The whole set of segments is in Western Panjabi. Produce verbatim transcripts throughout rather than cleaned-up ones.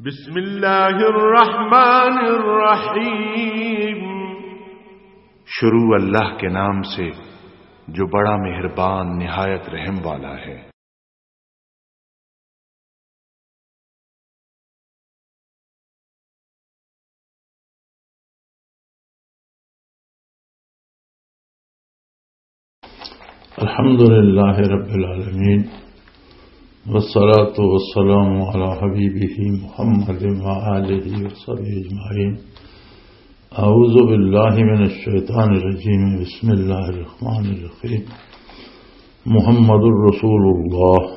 بسم اللہ الرحمن الرحیم۔ شروع اللہ کے نام سے، جو بڑا مہربان، نہایت رحم والا ہے۔ الحمد لله رب العالمين، والصلاة والسلام على حبيبه محمد وآله وصحبه أجمعين. أعوذ بالله من الشيطان الرجيم. بسم الله الرحمن الرحيم. محمد رسول الله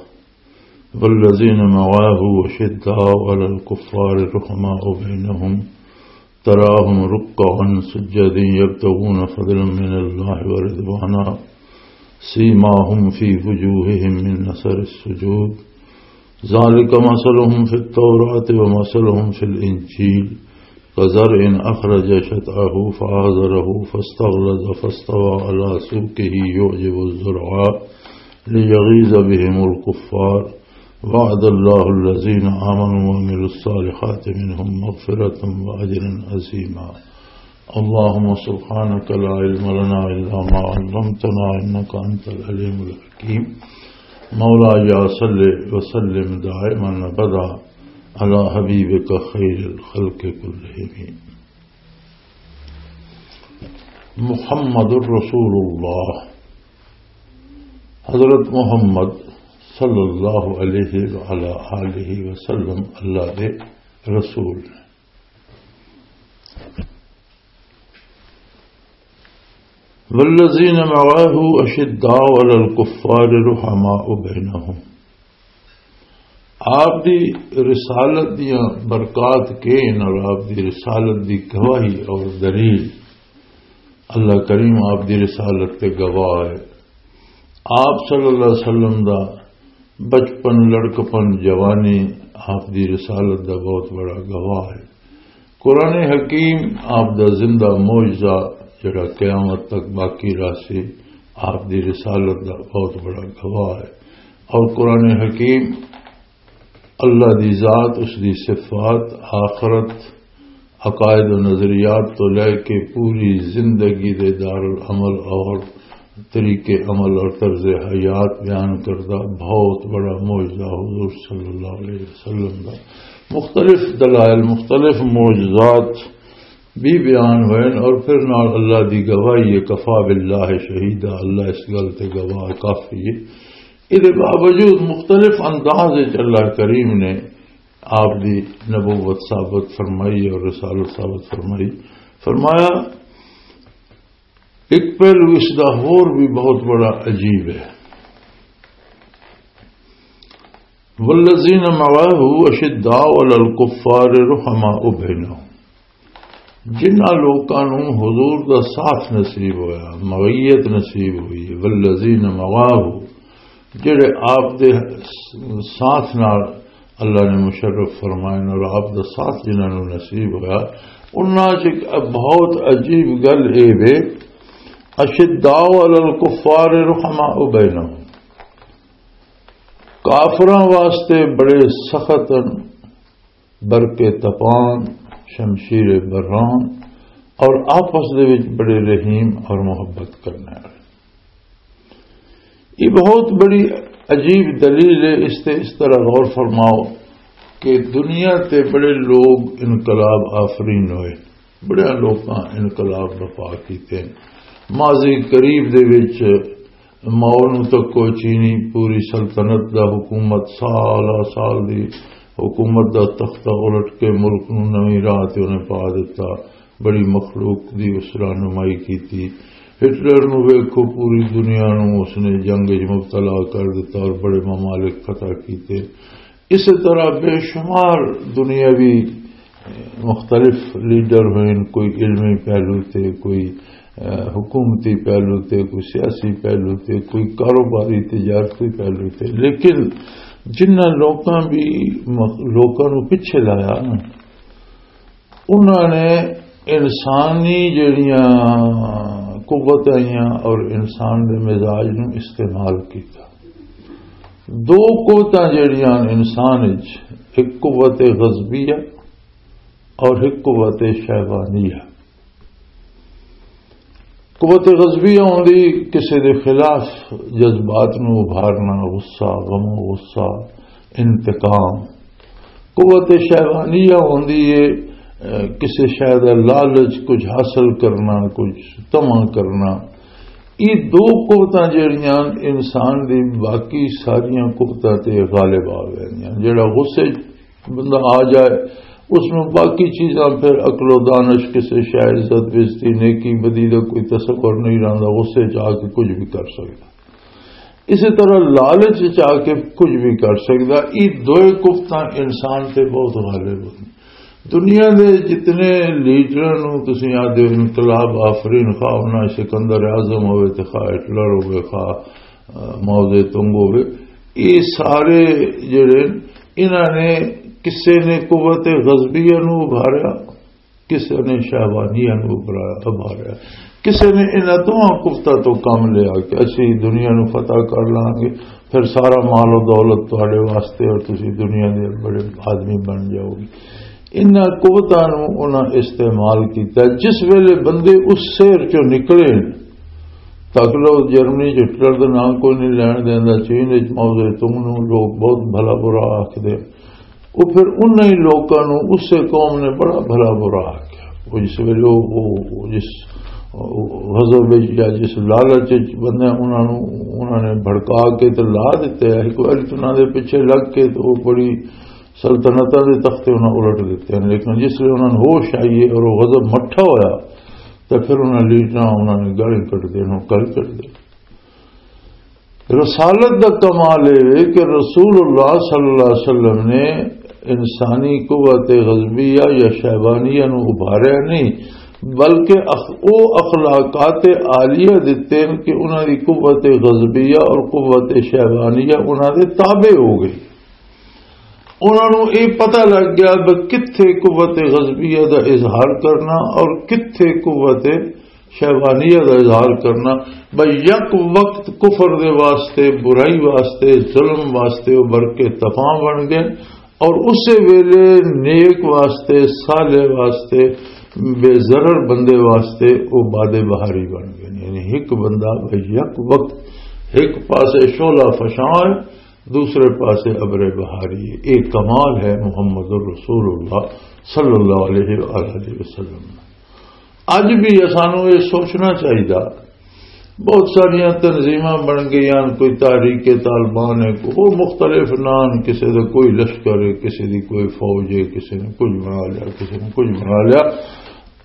والذين معه أشداء على الكفار رحماء بينهم، تراهم ركعا سجدا يبتغون فضلا من الله ورضوانا، سيماهم في وجوههم من أثر السجود، ذلك مثلهم في التوراة ومثلهم في الإنجيل، كزرع أخرج شطأه فآزره فاستغلظ فاستوى على سوقه يعجب الزراع ليغيظ بهم الكفار، وعد الله الذين آمنوا وعملوا الصالحات منهم مغفرة وأجرا عظيما. اللهم سبحانك لا علم لنا إلا ما علمتنا إنك أنت العليم الحكيم. مولاي صل وسلم دائما أبدا على حبيبك خير الخلق كلهم. محمد رسول اللہ، حضرت محمد صلی اللہ علیہ وعلی آلہ وسلم اللہ دے رسول نے۔ والذین معه اشداء علی الکفار رحماء بینہم۔ آپ دی رسالت دیاں برکات کے نال آپ دی رسالت دی گواہی اور دلیل، اللہ کریم آپ دی رسالت تے گواہ ہے۔ آپ صلی اللہ علیہ وسلم دا بچپن، لڑکپن، جوانی آپ دی رسالت دا بہت بڑا گواہ ہے۔ قرآن حکیم آپ دا زندہ معجزہ جڑا قیامت تک باقی رہسی، آپ دی رسالت دا بہت بڑا گواہ ہے۔ اور قرآن حکیم اللہ دی ذات، اس دی صفات، آخرت، عقائد و نظریات تو لے کے پوری زندگی دے دارالعمل اور طریقے عمل اور طرز حیات بیان کردہ بہت بڑا معجزہ حضور صلی اللہ علیہ وسلم دا۔ مختلف دلائل، مختلف معجزات بھی بیان ہوئے اور پھر نال اللہ دی گواہی ہے، کفا باللہ شہیدا، اللہ اس گل تے گواہ کافی ہے۔ اس دے باوجود مختلف انداز وچ اللہ کریم نے آپ دی نبوت ثابت فرمائی اور رسالت ثابت فرمائی۔ فرمایا، ایک پہلو اس دا ہور بھی بہت بڑا عجیب ہے۔ والذین معه اشداء علی الکفار رحماء بینہم۔ جنہاں لوکاں نوں حضور دا ساتھ نصیب ہویا، معیت نصیب ہوئی، والذین معه، جڑے آپ دے ساتھ نال اللہ نے مشرف فرمائے اور آپ دا ساتھ جنہاں نوں نصیب ہویا، انہاں چ ایک بہت عجیب گل اے وے، اشداء علی الکفار رحماء بینہم، کافراں واسطے بڑے سخت ہن، برق تپان، شمشیر بران، اور آپس دے وچ بڑے رحیم اور محبت کرنے والے۔ یہ بہت بڑی عجیب دلیل ہے۔ اس تے اس طرح غور فرماؤ کہ دنیا تے بڑے لوگ انقلاب آفرین ہوئے، بڑے لوکاں انقلاب برپا کیتے۔ ماضی قریب دے وچ ماؤ نوں تکو، چینی پوری سلطنت دا حکومت، سال سال دی حکومت دا تختہ الٹ کے ملک نوں نویں راہ تے انہیں پا دتا۔ بڑی مخلوق دی اس رہنمائی کیتی۔ ہٹلر نوں ویکھو، پوری دنیا نوں اس نے جنگ وچ مبتلا کر دتا اور بڑے ممالک فتح کیتے۔ اسی طرح بے شمار دنیاوی مختلف لیڈر ہوئے، کوئی علمی پہلو تے، کوئی، اہ، حکومتی پہلو تے، کوئی سیاسی پہلو تے، کوئی کاروباری تجارتی پہلو تے، لیکن جنہاں لوکاں بھی مخ-، لوکاں نوں پیچھے لایا نا، انہاں نے انسانی جڑیاں قوتاں آئیاں اور انسان دے مزاج نوں استعمال کیتا۔ دو قوتاں جڑیاں انسان وچ، ایک قوت غضبیہ اور ایک قوت شہوانیہ۔ قوت غضبیہ ہوندی کسے دے خلاف جذبات نو ابھارنا، غصہ، غم و غصہ، انتقام۔ قوت شہوانیہ ہوندی ہے، اے، کسے شے دا لالچ، کچھ حاصل کرنا، کچھ طمع کرنا۔ یہ دو قوتاں جڑیاں انسان دی باقی ساریاں قوتاں تے غالب آ گئیاں۔ جڑا غصے بندہ آ جائے، اس میں باقی چیزاں پھر عقل و دانش، کسے شے، عزت، بےعزتی، نیکی، بدی دا کوئی تصور نہیں رہندا، غصے چ آ کے کچھ بھی کر سکدا۔ اسی طرح لالچ چ آ کے کچھ بھی کر سکدا۔ یہ دوئے قوتاں انسان تے بہت غالب ہن۔ دنیا دے جتنے لیڈراں نوں تسی آدھے ہو انقلاب آفرین، خواہ انہاں سکندر اعظم ہوئے تے خواہ ہٹلر ہوئے، خواہ، آ، ماؤ زے تونگ ہوئے، یہ سارے جڑے، انہاں نے، کسے نے قوت غضبیہ نوں ابھاریا، کسے نے شہوانیہ نوں ابھاریا، ابھاریا۔ کسے نے انہاں دوواں قوتاں تو کم لیا کہ اسی دنیا نوں فتح کر لانگے، پھر سارا مال و دولت تہاڈے واسطے اور تسی دنیا دے بڑے آدمی بن جاؤ گے۔ انہاں قوتاں نوں انہاں استعمال کیتا۔ جس ویلے بندے اس شہر چوں نکلے، تک لو جرمنی چ ہٹلر دا نام کوئی نہیں لین دیندا، چین وچ ماؤ زے تونگ نوں لوگ بہت بھلا برا آکھدے۔ وہ پھر انہاں ہی لوکاں نوں اسے قوم نے بڑا بھلا برا آکھیا۔ وہ جس ویلے وہ، وہ، وہ جس غضب وچ یا جس لالچ وچ بندے انہاں نوں، انہاں نے بھڑکا کے تے لا دتے ہیں، ایک واری تو انہاں دے پیچھے لگ کے تو وہ بڑی سلطنتاں دے تختے انہاں الٹ دتے ہیں۔ لیکن جس ویلے انہاں نوں ہوش آئی ہے اور وہ غضب مٹھا ہویا، تو پھر انہاں لیڈراں انہاں نے گالی کٹ دے، انہاں گالی کٹ دے۔ رسالت دا کمال اے وے کہ رسول اللہ صلی اللہ علیہ وسلم نے انسانی قوت غضبیہ یا شیبانیہ نو ابھاریا نہیں، بلکہ اخ-، او اخلاقات عالیہ دتے ہیں کہ انہاں دی قوت غضبیہ اور قوت شیبانیہ انہاں دے تابع ہو گئی۔ انہاں نوں اے پتہ لگ گیا کہ کتھے قوت غضبیہ دا اظہار کرنا اور کتھے قوت شیبانیہ دا اظہار کرنا۔ بھئی، یک وقت کفر دے واسطے، برائی واسطے، ظلم واسطے او برق طپاں بن گئے، اور اسے ویلے نیک واسطے، صالح واسطے، بے ضرر بندے واسطے او باد بہاری بن گئے۔ یعنی ایک بندہ بھئی یک وقت ایک پاسے شعلہ فشاں ہے، دوسرے پاسے ابر بہاری ہے۔ ایک کمال ہے محمد الرسول اللہ صلی اللہ علیہ وآلہ وسلم۔ اج بھی سانوں یہ سوچنا چاہیے۔ بہت ساریاں تنظیماں بن گئیاں، کوئی تحریک طالبان ہے، کوئی مختلف نام، کسی دا کوئی لشکر ہے، کسی دی کوئی فوج ہے، کسی نے کچھ بنا لیا، کسی نے کچھ بنا لیا۔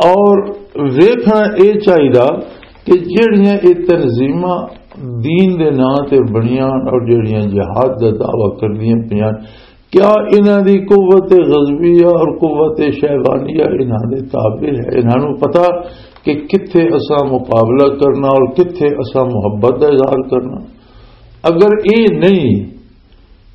اور ویکھنا یہ چاہیے کہ جڑیاں یہ تنظیماں دین دے نام تے بنیاں اور جڑیاں جہاد دا دعویٰ کردیاں پیاں، کیا انہاں دی قوت غضبیہ اور قوت شیبانیہ انہاں دے تابع ہے؟ انہاں نوں پتہ کہ کتھے اساں مقابلہ کرنا اور کتھے اساں محبت دا اظہار کرنا؟ اگر اے نہیں،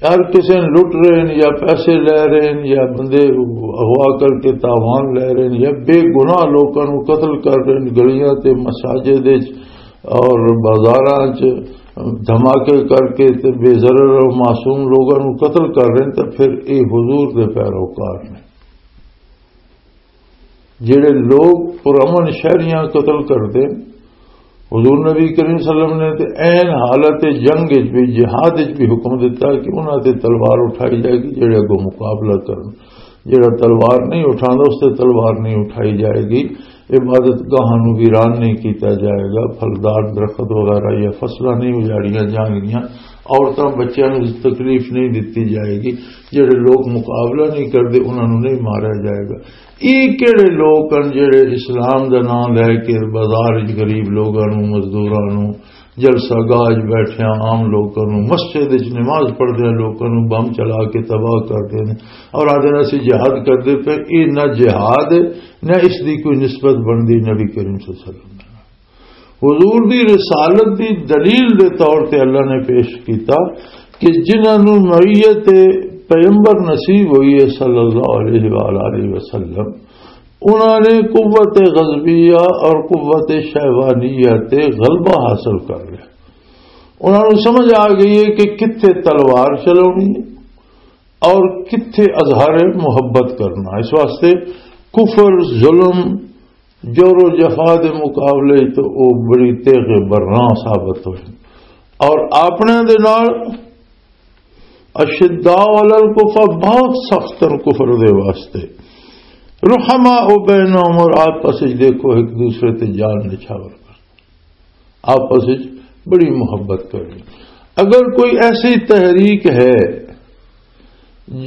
یار کسے نوں لٹ رہے ہیں یا پیسے لے رہے ہیں یا بندے اغوا کر کے تاوان لے رہے ہیں یا بے گناہ لوکاں نوں قتل کر رہے ہیں گلیاں تے مساجد وچ اور بازاراں چ دھماکے کر کے تے بے ضرر اور معصوم لوگاں نوں قتل کر رہے ہیں، تے پھر اے حضور دے پیروکار نے۔ جڑے لوگ پرامن شہریاں قتل کردے، حضور نبی کریم صلی اللہ علیہ وسلم نے تے عین حالت جنگ وچ بھی، جہاد وچ بھی حکم دیتا کہ انہاں تے تلوار اٹھائی جائے گی، جڑے اگوں مقابلہ کرن۔ جڑا تلوار نہیں اٹھاندا، اس تے تلوار نہیں اٹھائی جائے گی۔ عبادت گاہاں نوں ویران نہیں کیتا جائے گا، پھلدار درخت وغیرہ یا فصلاں نہیں اجاڑیاں جان گیاں، عورتاں بچیاں نوں تکلیف نہیں دتی جائے گی، جڑے لوگ مقابلہ نہیں کردے انہاں نوں نہیں ماریا جائے گا۔ یہ کہڑے لوگ ہیں جڑے اسلام دا نام لے کے بازار وچ غریب لوگاں نوں، مزدوراں نوں، جلسہ گاہ وچ بیٹھیاں عام لوکاں نوں، مسجد وچ نماز پڑھدیاں لوکاں نوں بم چلا کے تباہ کردے نے اور آدھے نے اسی جہاد کردے پے؟ اے نہ جہاد ہے، نہ اس دی کوئی نسبت بندی نبی کریم صلی اللہ علیہ وسلم نال۔ حضور دی رسالت دی دلیل دے طور تے اللہ نے پیش کیتا کہ جنہاں نوں معیت پیغمبر نصیب ہوئی ہے صلی اللہ علیہ وآلہ وسلم، انہاں نے قوت غضبیہ اور قوت شہوانیہ تے غلبہ حاصل کر لیا۔ انہاں نوں سمجھ آ گئی ہے کہ کتھے تلوار چلاونی ہے اور کتھے اظہار محبت کرنا۔ اس واسطے کفر، ظلم، جور و جفا دے مقابلے تو وہ بڑی تیغ برنا ثابت ہوئے۔ اور اپنے دے نال اشداء علی الکفر، بہت سخت ہیں کفر دے واسطے۔ رحماء بینہم، اور آپس وچ دیکھو ایک دوسرے تے جان نچھاور کر، آپس وچ بڑی محبت کرنی۔ اگر کوئی ایسی تحریک ہے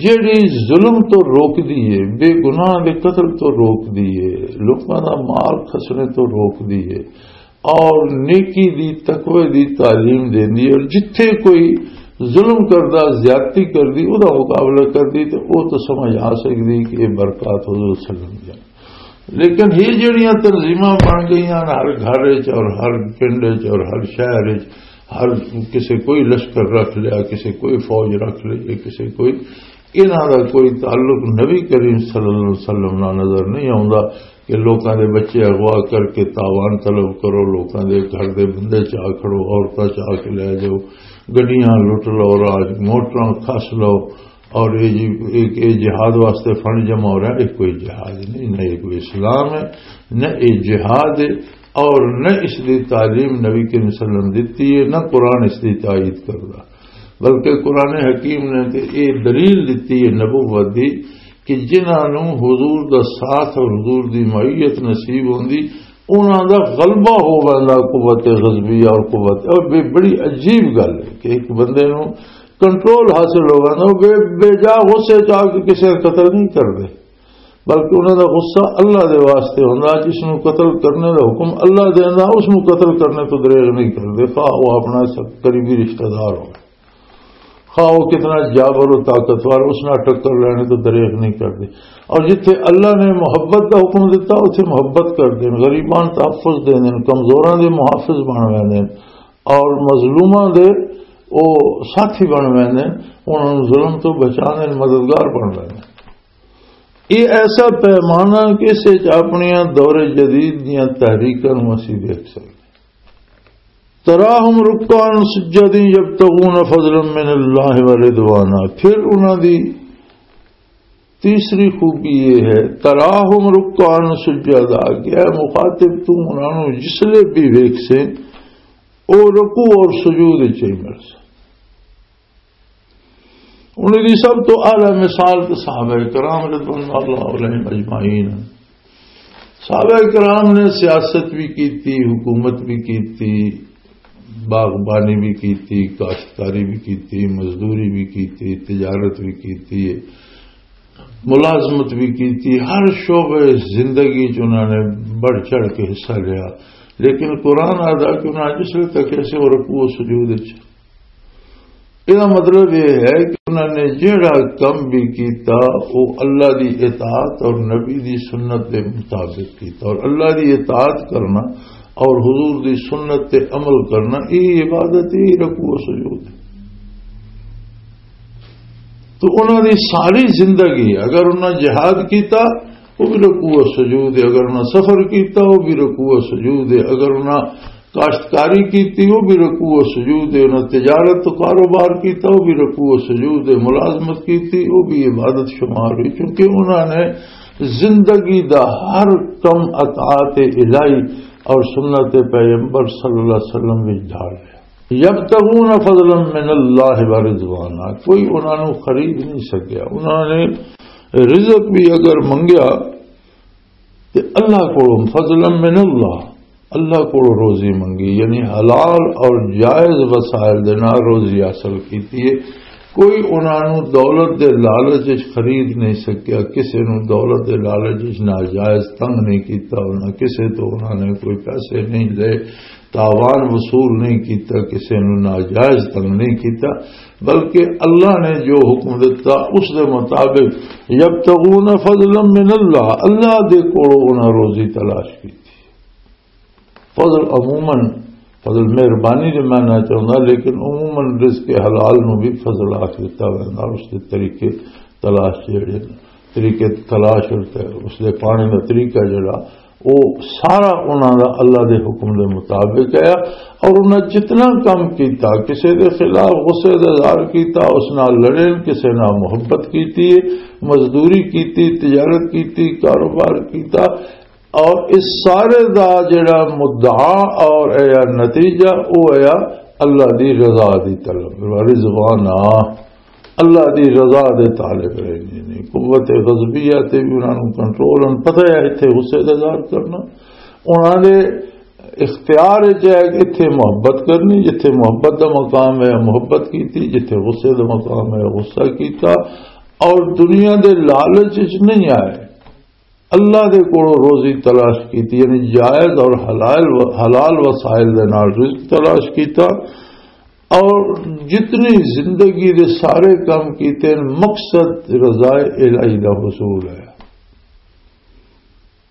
جڑی ظلم تو روک دیے، بے گناہ دے قتل تو روک دیے، لوکاں دا مال کھسنے تو روک دیے، اور نیکی دی، تقوی دی تعلیم دیندی، اور جتھے کوئی ظلم کردا، زیادتی کردی، او دا مقابلہ کردی، تے او تو سمجھ آ سکدی کہ یہ برکات حضور صلی اللہ علیہ وسلم دی۔ لیکن یہ جڑیاں تنظیماں بن گئیاں ہر گھر وچ اور ہر پنڈ وچ اور ہر شہر وچ، ہر کسے کوئی لشکر رکھ لیا، کسے کوئی فوج رکھ لئی، کسے کوئی، انہاں دا کوئی تعلق نبی کریم صلی اللہ علیہ وسلم نال نظر نہیں آوندا کہ لوکاں دے بچے اغوا کر کے تاوان طلب کرو، لوکاں دے گھر دے بندے چا کھڑو، عورتاں چا کے لے جاؤ، گڈیاں لٹ لو، راج موٹراں کھس لو، اور یہ جی، ایک یہ جہاد واسطے فنڈ جمع ہو رہا ہے، یہ کوئی جہاد نہیں، نہ یہ کوئی اسلام ہے، نہ یہ جہاد ہے، اور نہ اس دی تعلیم نبی کریم صلی اللہ علیہ وسلم دیتی ہے، نہ قرآن اس دی تائید کردا۔ بلکہ قرآن حکیم نے تے یہ دلیل دیتی ہے نبوت دی کہ جنہاں نوں حضور دا ساتھ اور حضور دی معیت نصیب ہوندی، انہاں دا غلبہ ہو ویندا قوت غضبیہ اور قوت، اور یہ بڑی عجیب گل ہے کہ ایک بندے نوں کنٹرول حاصل ہو ویندا، وہ بے، بے جا غصے چ آ کے کسی کا قتل نہیں کردے، بلکہ انہاں دا غصہ اللہ دے واسطے ہوندا۔ جس نوں قتل کرنے دا حکم اللہ دیندا، اس نوں قتل کرنے تو دریغ نہیں کردے، خواہ وہ اپنا سب قریبی رشتہ دار ہو، خواہ وہ کتنا جابر و طاقتور، اس نال ٹکر لینے تو دریغ نہیں کردے۔ اور جتھے اللہ نے محبت دا حکم دیتا، اتھے محبت کردے، غریباں نوں تحفظ دیندے، کمزوراں دے محافظ بن ویندے، اور مظلوماں دے او ساتھی بن ویندے، انہاں نوں ظلم تو بچاندے، مددگار بن ویندے۔ یہ ایسا پیمانہ کہ اس وچ اپنیاں دور جدید دیاں تحریکاں نوں اسی دیکھ سکدے۔ تراہم رکعاً سجداً یبتغون فضلاً من اللہ ورضوانا۔ پھر انہاں دی تیسری خوبی یہ ہے، تراہم رکعاً سجدا، کہ اے مخاطب، تو انہاں نوں جس لے بھی ویکھ سے، او رکوع اور سجود وچ ہی مل سے۔ انہاں دی سب تو اعلیٰ مثال تو صحابہ کرام رضوان اللہ علیہم اجمعین۔ صحابہ کرام نے سیاست بھی کیتی، حکومت بھی کیتی، باغبانی بھی کیتی، کاشتکاری بھی کیتی، مزدوری بھی کیتی، تجارت بھی کیتی، ملازمت بھی کیتی، ہر شعبے زندگی چ انہوں نے بڑھ چڑھ کے حصہ لیا۔ لیکن قرآن آدا کہ انہوں نے جس وقت تک ایسے اور رکوع و سجود وچ، یہ مطلب یہ ہے کہ انہوں نے جہڑا کم بھی کیتا، وہ اللہ دی اطاعت اور نبی دی سنت دے مطابق کیتا، اور اللہ دی اطاعت کرنا اور حضور دی سنت تے عمل کرنا، یہ عبادت، یہ رکوع و سجود ہے۔ تو انہاں دی ساری زندگی، اگر انہاں جہاد کیتا، وہ بھی رکوع و سجود ہے، اگر انہاں سفر کیتا، وہ بھی رکوع و سجود ہے، اگر انہاں کاشتکاری کیتی، وہ بھی رکوع و سجود ہے، انہاں تجارت و کاروبار کیتا، وہ بھی رکوع و سجود ہے، ملازمت کیتی، وہ بھی عبادت شمار ہوئی، کیونکہ انہاں نے زندگی دا ہر کم اطاعت الہی اور سنت پیغمبر صلی اللہ علیہ وسلم وچ ڈھال لیا۔ یبتغون فضلا من اللہ ورضوانا، کوئی انہاں نوں خرید نہیں سکیا۔ انہاں نے رزق بھی اگر منگیا تے اللہ کولوں، فضلا من اللہ، اللہ کولوں روزی منگی، یعنی حلال اور جائز وسائل دے نال روزی حاصل کیتی ہے۔ کوئی انہاں نوں دولت دے لالچ وچ خرید نہیں سکیا، کسے نوں دولت دے لالچ وچ ناجائز تنگ نہیں کیتا، انہاں کسے تو انہاں نے کوئی پیسے نہیں لے، تاوان وصول نہیں کیتا، کسے نوں ناجائز تنگ نہیں کیتا، بلکہ اللہ نے جو حکم دیتا اس دے مطابق، یبتغون فضلا من اللہ، اللہ دے کولوں انہاں روزی تلاش کیتی۔ فضل عموماً، فضل مہربانی دے میں نہ چاہوں گا، لیکن عموماً رزق حلال نو بھی فضل آخ دیتا ویندا، اس دے طریقے تلاش جڑے، طریقے تلاش اور تے اس دے پانے دا طریقہ جڑا، وہ سارا انہاں دا اللہ دے حکم دے مطابق ہے۔ اور انہاں جتنا کم کیتا، کسے دے خلاف غصے دا اظہار کیتا، اس نال لڑے، کسے نال محبت کیتی، مزدوری کیتی، تجارت کیتی، کاروبار کیتا، اور اس سارے دا جڑا مدعا اور اے نتیجہ، او اے اللہ دی رضا دی طلب، رضوانا، اللہ دی رضا دے طالب رہندے نے۔ قوت غضبیہ تے بھی انہاں نوں کنٹرول، ہن پتہ ہے ایتھے غصے دا اظہار کرنا، انہاں دے اختیار وچ ہے کہ ایتھے محبت کرنی، جتھے محبت دا مقام ہے محبت کیتی، جتھے غصے دا مقام ہے غصہ کیتا۔ اور دنیا دے لالچ وچ نہیں آئے، اللہ دے کولوں روزی تلاش کیتی، یعنی جائز اور حلال و-، حلال وسائل دے نال رزق تلاش کیتا، اور جتنی زندگی دے سارے کام کیتے ہیں، مقصد رضا الہی دا حصول ہے۔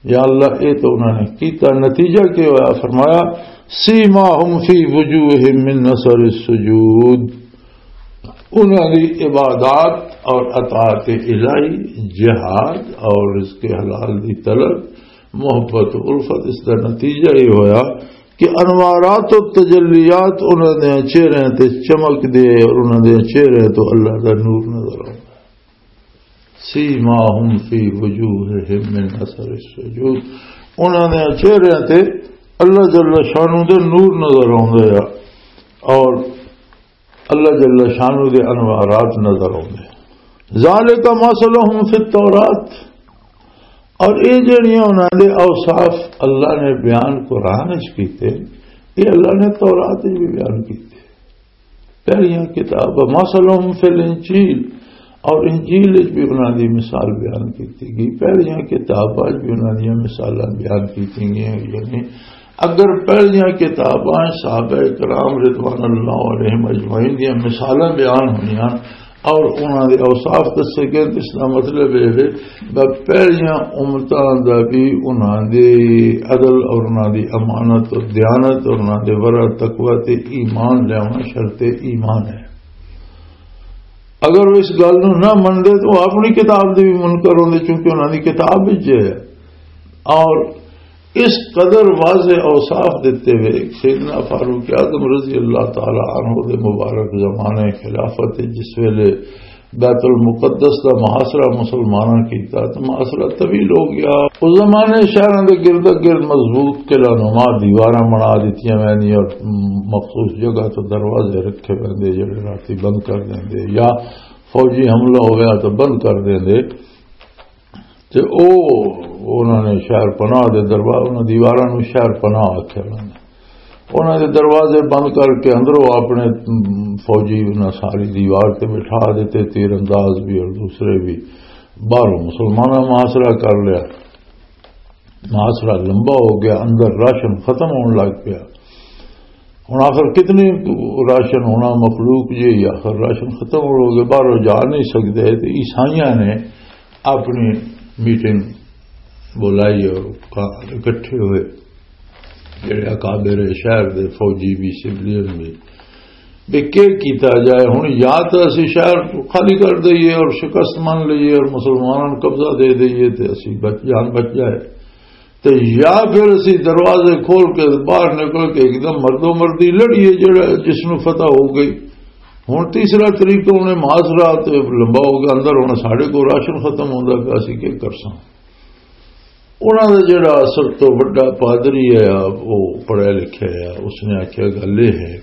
یا اللہ، اے تو انہوں نے کیتا، نتیجہ کیا ہوا؟ فرمایا، "سیماہم فی وجوہہم من اثر السجود۔" انہاں دی عبادات اور اطاعت الہی، جہاد اور رزق حلال دی طلب، محبت و الفت، اس دا نتیجہ یہ ہویا کہ انوارات و تجلیات انہاں دے چہرے تے چمک دے اور انہاں دے چہرے تو اللہ دا نور نظر آتا۔ سیماہم فی وجوہہم من اثر السجود، انہاں دے چہرے تے اللہ جل شانہ دے نور نظر آتے ہیں اور اللہ جل شانہ دے انوارات نظر آتے ہیں۔ ذالک مثلہم فی التورات، اور یہ جڑیاں انہاں دے اوصاف اللہ نے بیان قرآن وچ کیتے، یہ اللہ نے تورات وچ بھی بیان کیتے۔ پہلیاں کتاب، مثلہم فی الانجیل، اور انجیل وچ بھی انہاں دی مثال بیان کیتی گئی، پہلیاں کتاباں وچ بھی انہاں دیاں مثالاں بیان کیتی گئیاں۔ یعنی اگر پہلیاں کتاباں صحابہ کرام رضوان اللہ علیہم اجمعین دیاں مثالاں بیان ہوئیاں اور انہاں دے اوصاف دسے گئے، تو اس دا مطلب یہ ہے کہ پہلیاں امتاں دا بھی انہاں دے عدل اور انہاں دی امانت اور دیانت اور انہاں دے ورع تقوی تے ایمان لیاونا شرط ایمان ہے۔ اگر وہ اس گل نو نہ منتے تو وہ اپنی کتاب دے بھی منکر ہوندے، چونکہ انہاں دی کتاب وچ ہے۔ اور اس قدر واضح اوصاف دیتے ہوئے سیدنا فاروق اعظم رضی اللہ تعالی عنہ دے مبارک زمانے خلافت، جس ویلے بیت المقدس دا محاصرہ مسلماناں کیتا، تو محاصرہ طویل ہو گیا۔ اس زمانے شہراں دے گرد گرد مضبوط قلعہ نما دیواراں بنا دتیاں ویندیاں اور مخصوص جگہ تو دروازے رکھے ویندے، جڑے راتی بند کر دیندے، یا فوجی حملہ ہویا تو بند کر دیندے۔ تے او، انہاں نے شہر پناہ دے دربار، انہاں دیواراں نوں شہر پناہ آکھیا انہاں نے۔ انہاں دے دروازے بند کر کے اندروں اپنے، م، فوجی انہاں ساری دیوار تے بٹھا دیتے، تیر انداز بھی اور دوسرے بھی۔ باہروں مسلماناں محاصرہ کر لیا، محاصرہ لمبا ہو گیا، اندر راشن ختم ہون لگ پیا۔ ہن آخر کتنی راشن ہونا مخلوق جی، آخر راشن ختم ہو گئے، باہروں جا نہیں سکتے۔ تے عیسائیاں نے اپنی میٹنگ بلائی اور کا-، اکٹھے ہوئے جڑے اکابر شہر دے فوجی بھی، سویلین بھی، بھی کی کیتا جائے۔ ہن یا تو اسی شہر خالی کر دئیے اور شکست من لئیے اور مسلمانوں نوں قبضہ دے دئیے تے اسی بچ، جان بچ جائے، تے یا پھر اسی دروازے کھول کے باہر نکل کے ایک دم مردو مردی لڑیے، جڑا جس نوں فتح ہو گئی۔ ہن تیسرا طریقہ انہیں محاصرہ تے لمبا ہو گیا، اندر ہن ساڈے کو راشن ختم ہوندا پیا، اسی کی کرساں؟ انہاں دا جڑا سب تو وڈا پادری ہے، وہ پڑھیا لکھیا ہے، اس نے آکھیا، گل یہ ہے،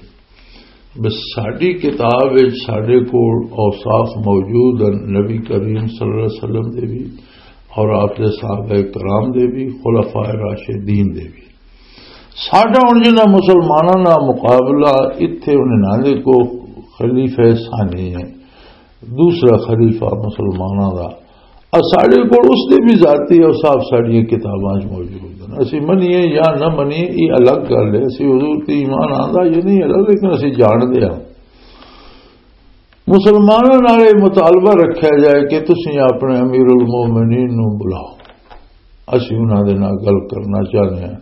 بس ساڈی کتاب وچ ساڈے کول اوصاف موجود ہیں نبی کریم صلی اللہ علیہ وسلم دے بھی اور آپ دے صحابہ کرام دے بھی، خلفاء راشدین دے بھی۔ ساڈا ہن جنہاں مسلماناں نال مقابلہ، اتھے انہاں دے کو خلیفہ ثانی ہے، دوسرا خلیفہ مسلماناں دا، اور ساڈے کول اس دے بھی ذاتی اوصاف ساڈیاں کتاباں وچ موجود ہیں۔ اسی منیے یا نہ منیے، یہ الگ گل ہے۔ اسی حضور تے ایمان آندا یہ نہیں الگ، لیکن اسی جانتے ہاں۔ مسلمانوں نال یہ مطالبہ رکھا جائے کہ تسی اپنے امیر المومنین نوں بلاؤ، اسی انہاں دے نال گل کرنا چاہتے ہیں۔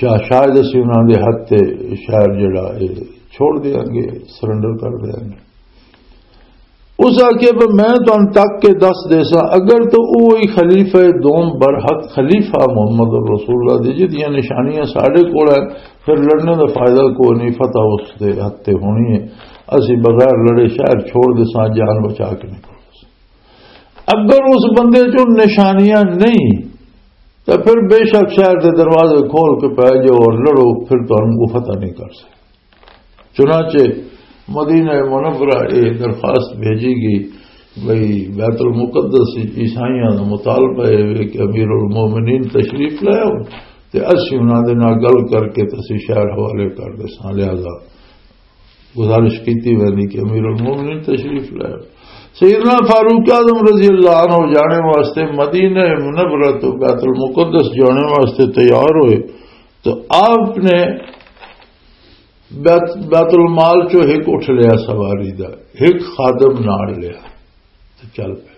شا-، شاید اسی انہاں دے ہتھ تے شہر جڑا اے چھوڑ دیاں گے، سرنڈر کر دیاں گے۔ اس آکھیا بھی میں تانوں تک کے دس دے ساں، اگر تو اوہی خلیفہ دوم برحق خلیفہ محمد رسول اللہ دی جدیاں نشانیاں ساڈے کول ہیں، پھر لڑنے دا فائدہ کوئی نہیں، فتح اس دے ہتھ تے ہونی ہے۔ اسی بغیر لڑے شہر چھوڑ دے ساں، جان بچا کے نکل۔ اگر اس بندے چوں نشانیاں نہیں تو پھر بے شک شہر دے دروازے کھول کے پے جاؤ اور لڑو، پھر تانوں وہ فتح نہیں کر سکے۔ چنانچہ مدینہ منورہ یہ درخواست بھیجی گئی بھئی بیت المقدس عیسائیاں دا مطالبہ ہے کہ امیر المومنین تشریف لے آؤ تے اسی انہاں دے نال گل کر کے تے اسی شہر حوالے کر دے ساں، لہذا گزارش کیتی ویندی کہ امیر المومنین تشریف لے آؤ۔ سیدنا فاروق اعظم رضی اللہ عنہ جانے واسطے مدینہ منورہ تو بیت المقدس جانے واسطے تیار ہوئے تو آپ نے بیت، بیت المال چو ایک اٹھ لیا سواری دا، ایک خادم نال لیا تے چل پے۔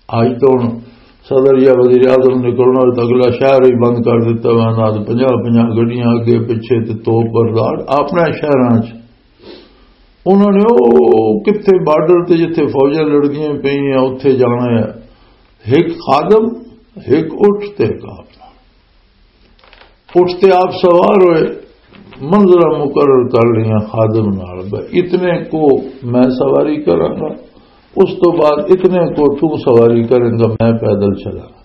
آج تو ہن صدر یا وزیر اعظم نکلنا ہوئے تو اگلا شہر ہی بند کر دیتا ہوا، نہ تو پنجاہ پنجاہ گڈیاں اگے پیچھے تے توپ بردار اپنے شہراں چ۔ انہوں نے او کتھے بارڈر تے جتھے فوجاں لڑدیاں پئی ہیں اتھے جانا ہے، ایک خادم، ایک اٹھ تے ایک آپ۔ اٹھ تے آپ سوار ہوئے، منزلہ مقرر کر لیا خادم نال، بس اتنے کو میں سواری کراں گا، اس تو بعد اتنے کو تو سواری کریں گا، میں پیدل چلاں گا۔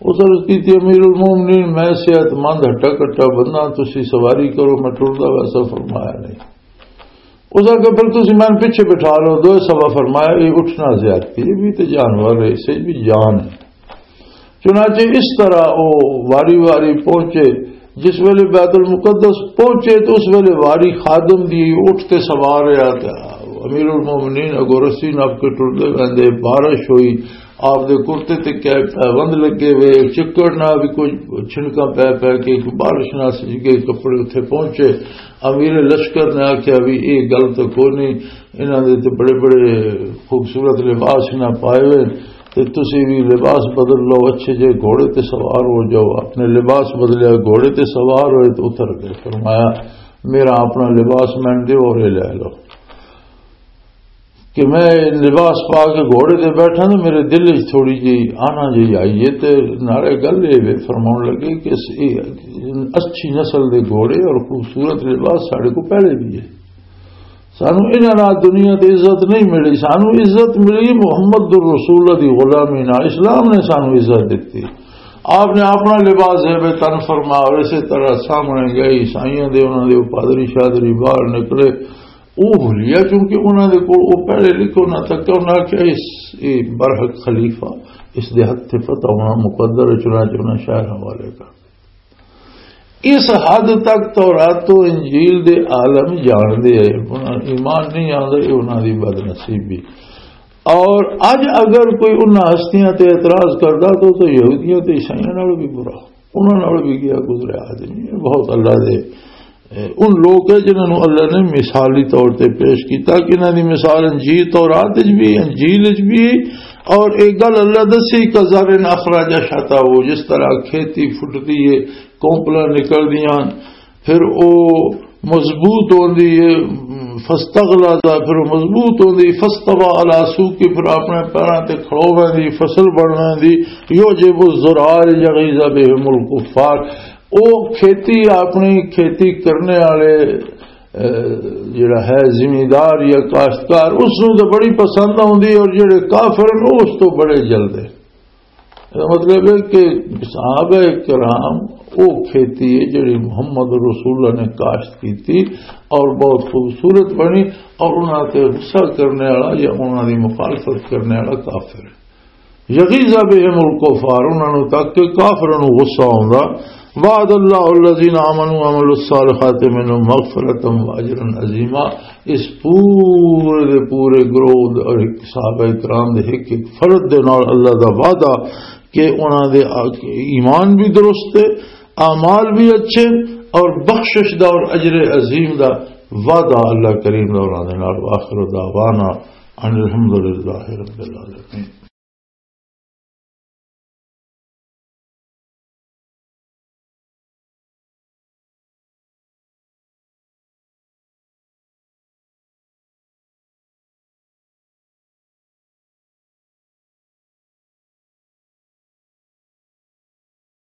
اس عرض کی تھی، امیر المومنین، میں صحت مند ہٹا کٹا بندہ، تسی سواری کرو، میں ٹردا ویسا فرمایا نہیں۔ اس آکھیا، پھر تسی میں پیچھے بٹھا لو، دوئے سوا فرمایا، یہ اٹھنا زیادتی ہے، یہ بھی تے جانور ہے، اسے بھی جان ہے۔ چنانچہ اس طرح وہ واری واری پہنچے۔ جس ویلے بیت المقدس پہنچے تو اس ویلے واری خادم دی اٹھ تے سوار رہا تھا۔ امیر المومنین اگوں رسی نپ کے ٹردے ویندے، بارش ہوئی، آپ دے کرتے تے کیا پیوند لگے ہوئے، چکڑ نہ بھی کچھ چھنکاں پے پے کے بارش نہ سج گئی، کپڑے اتھے پہنچے۔ امیر لشکر نے آکھیا، "بھی یہ گل تو کوئی نہیں، انہاں دے تے بڑے بڑے خوبصورت لباس انہاں پائے ہوئے، تے تسی بھی لباس بدل لو، اچھے جے گھوڑے تے سوار ہو جاؤ۔" اپنے لباس بدلیا، گھوڑے تے سوار ہوئے تے اتر گئے۔ فرمایا، "میرا اپنا لباس میں دے اور یہ لے لو۔" کہ میں لباس پا کے گھوڑے تے بیٹھا نا، میرے دل وچ تھوڑی جی آنا جی آئی ہے۔ تے نالے گل یہ وے، فرماؤن لگے کہ اس، یہ اچھی نسل دے گھوڑے اور خوبصورت لباس ساڈے کو پہلے بھی ہے۔ سانو انہاں نال دنیا تے عزت نہیں ملی، سانو عزت ملی محمد الرسول دی غلامی نال، اسلام نے سانو عزت دتی۔ آپ نے اپنا لباس ہے بے تن فرما، اور اسی طرح سامنے گئے عیسائیاں دے، انہاں دے پادری شادری باہر نکلے، وہ بھولیا، چونکہ انہاں دے کول وہ پہلے لکھو نہ تک، انہاں آکھیا، "اس، یہ برحق خلیفہ، اس دے ہتھ تے فتح ہونا مقدر ہے، چنانچہ انہاں شہر حوالے کر۔" اس حد تک تورات تو انجیل دے عالم جان دے ہیں، انہاں ایمان نہیں آندا، یہ انہاں دی بدنصیبی۔ اور اج اگر کوئی انہاں ہستیاں تے اعتراض کردا تو، تو یہودیاں تے عیسائیاں نال بھی برا، انہاں نال بھی گیا گزرا آدمی ہے۔ بہت اللہ دے اے، ان لوگ ہے جنہاں نوں اللہ نے مثالی طور تے پیش کیتا کہ انہاں دی مثال انجیل تورات وچ بھی، انجیل وچ بھی۔ اور ایک گل اللہ دسی، "کزرع اخرج شطأہ"، جس طرح کھیتی پھٹدی ہے، کونپلاں نکلدیاں، پھر او مضبوط ہوندی ہے، فاستغلظ، پھر او مضبوط ہوندی، فاستوى على سوقه، پھر اپنے پیراں تے کھڑو ویندی، فصل بن ویندی، يعجب الزراع ليغيظ بهم الكفار۔ او کھیتی، اپنی کھیتی کرنے والے، اے، جڑا ہے زمیندار یا کاشتکار، اس نوں تو بڑی پسند آوندی ہے، اور جڑے کافر نے، اس تو بڑے جلدے۔ اس دا مطلب ہے کہ صحابہ کرام، او کھیتی ہے جڑی محمد رسول اللہ نے کاشت کی تھی اور بہت خوبصورت بنی، اور انہاں تے غصہ کرنے والا یا انہاں دی مخالفت کرنے والا کافر ہے۔ یغیظ بہم الکفار، انہاں نوں تک کہ کافراں نوں غصہ آوندا۔ وعد اللہ الذین آمنوا وعملوا الصالحات منهم مغفرۃ واجرا عظیما۔ اس پورے دے پورے گروہ دے اور صحابہ کرام دے ایک ایک فرد دے نال اللہ دا وعدہ کہ انہاں دے ایمان بھی درست ہے، اعمال بھی اچھے، اور بخشش دا اور اجر عظیم دا وعدہ اللہ کریم دا انہاں دے نال۔ وآخر دعوانا ان الحمد للہ رب العالمین۔